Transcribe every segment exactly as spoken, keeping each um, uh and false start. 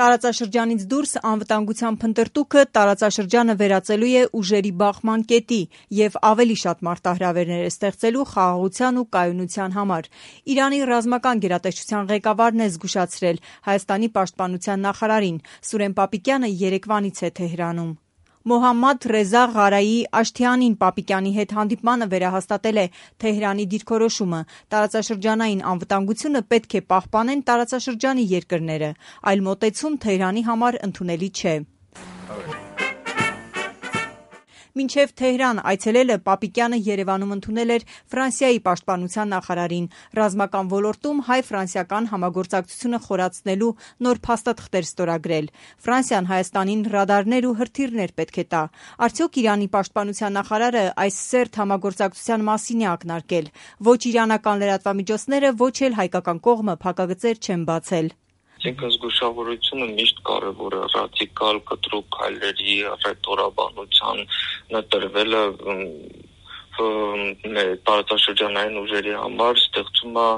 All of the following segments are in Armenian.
Տարածաշրջանից դուրս անվտանգության փնտրտուքը տարածաշրջանը վերածելու է ուժերի բախման կետի և ավելի շատ մարտահրավերներ է ստեղծելու խաղաղության ու կայունության համար։ Իրանի ռազմական գերատեսչության ղեկավարն է զգուշացրել Հայաստանի պաշտպանության նախարարին։ Սուրեն Պապիկյանը երեկվանից է Թեհրանում։ Մոհամմադ Ռեզա Ղարայի Աշթիանին Պապիկյանի հետ հանդիպմանը վերահաստատել է Թեհրանի դիրքորոշումը։ Տարածաշրջանային անվտանգությունը պետք է պահպանեն տարածաշրջանի երկրները, այլ մոտեցում Թեհրանի համար ընդունելի չէ։ Մինչև Թեհրան այցելելը Պապիկյանը Երևանում ընդունել էր Ֆրանսիայի պաշտպանության նախարարին։ Ռազմական ոլորտում հայ-ֆրանսիական համագործակցությունը խորացնելու նոր փաստաթղթեր ստորագրել։ Ֆրանսիան Հայաստանին ռադարներ ու հրթիռներ պետք է տա։ Արդյոք Իրանի պաշտպանության նախարարը այս սերտ համագործակցության մասին է ակնարկել։ Ոչ իրանական լրատվամիջոցները, ոչ էլ հայկական կողմը փակագծեր չեն բացել։ Այսինքն զգուշավորությունը միշտ կարևոր է, ռադիկալ կտրուկ քայլերի ռետորաբանության նտրվելը տարածաշրջանային ուժերի համար ստեղծում է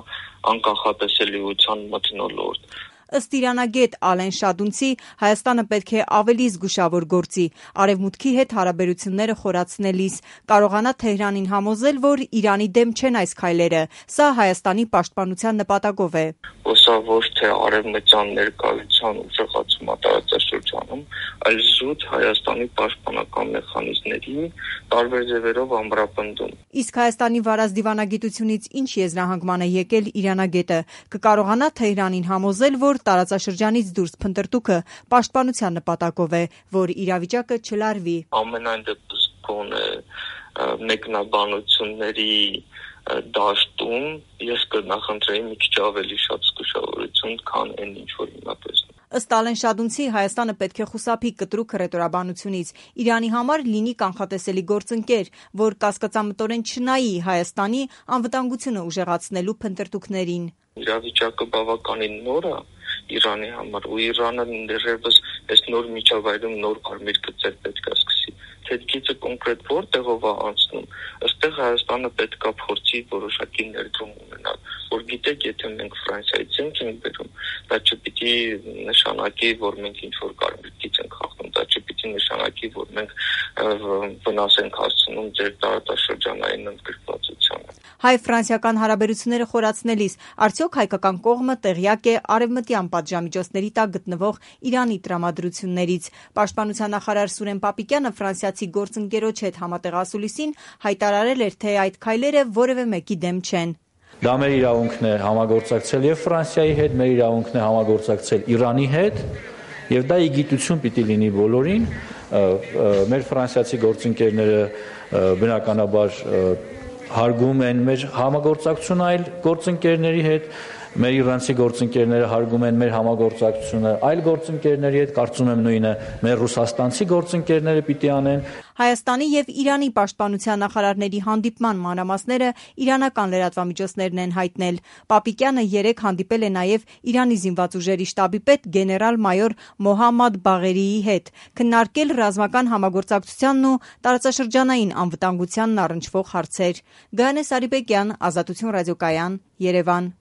անկախատեսելիության մթնոլորտ։ Ըստ իրանագետ Ալեն Շադունցի, Հայաստանը պետք է ավելի զգուշավոր գործի, արևմուտքի հետ հարաբերությունները խորացնելիս, կարողանա Թեհրանին համոզել, որ Իրանի դեմ չեն այս քայլերը, սա Հայաստանի պաշտպանության նպատակով է։ Սա ոչ թե արևմտյան ներկայության ուժեղացում է տարածաշրջանում, այլ զուտ Հայաստանի պաշտպանական մեխանիզմների տարբեր ձևերով ամրապնդում։ Իսկ Հայաստանի վարած դիվանագիտությունից ինչ եզրահանգման է եկել իրանագետը, կկարողանա Թեհրանին համոզել, որ տարածաշրջանից դուրս փնտրտուքը պաշտպանության նպատակով է, որ իրավիճակը չլարվի։ Ամենայն դեպս գոնե մեկնաբանությունների դաշտում ես կնախընտրեի մի քիչ ավելի շատ զգուշավորություն, քան այն ինչ որ հիմա տեսնում։ Ըստ Ալեն Շադունցի, Հայաստանը պետք է խուսափի կտրուկ հռետորաբանությունից, Իրանի համար լինի կանխատեսելի գործընկեր, որ կասկածամտորեն չնայի Հայաստանի անվտանգությունը ուժեղացնելու փնտրտուքներին։ Իրավիճակը բավականին նոր է Իրանի համար, ու Իրանը դեռևս այս նոր միջավայրում նոր կարմիր գծեր պետք է սկսի։ Թեթքիցը կոնկրետ որտեղով է անցնում, ըստեղ Հայաստանը պետք է փորձի որոշակի ներդրում ունենալ, որ գիտեք, եթե մենք Ֆրանսիայից ենք բերում, դա չպիտի նշանակի, որ մենք ինչ-որ կարմիր գիծ ենք խախտում, դա չպիտի նշանակի, որ մենք վնաս ենք հասցնում ձեր տարածաշրջանային ընդգրկվածությանը։ Հայ-ֆրանսիական հարաբերությունները խորացնելիս արդյոք հայկական կողմը տեղյակ է արևմտյան պատժամիջոցների տակ գտնվող Իրանի տրամադրություններից։ Պաշտպանության նախարար Սուրեն Պապիկյանը ֆրանսիացի գործընկերոջ հետ համատեղասուլիսին հայտարարել էր, թե այդ քայլերը որևէ մեկի դեմ չեն։ Դա մեր իրավունքն է համագործակցել եւ Ֆրանսիայի հետ, մեր իրավունքն է համագործակցել Իրանի հետ, եւ դա իգիտություն պիտի լինի բոլորին։ Մեր ֆրանսիացի գործընկերները բնականաբար հարգում են մեր համագործակցությունը այլ գործընկերների հետ, մեր իրանցի գործընկերները հարգում են մեր համագործակցությունը այլ գործընկերների հետ, կարծում եմ նույնը մեր ռուսաստանցի գործընկերները պիտի անեն։ Հայաստանի եւ Իրանի պաշտպանության նախարարների հանդիպման մանրամասները իրանական լրատվամիջոցներն են հայտնել։ Պապիկյանը երեկ հանդիպել է նաեւ Իրանի զինված ուժերի շտաբի պետ գեներալ-մայոր Մոհամմադ Բաղերիի հետ, քննարկել ռազմական համագործակցությանն ու տարածաշրջանային անվտանգությանն առնչվող հարցեր։ Գայանե Սարիբեկյան, Ազատություն ռադիոկայան, Երևան։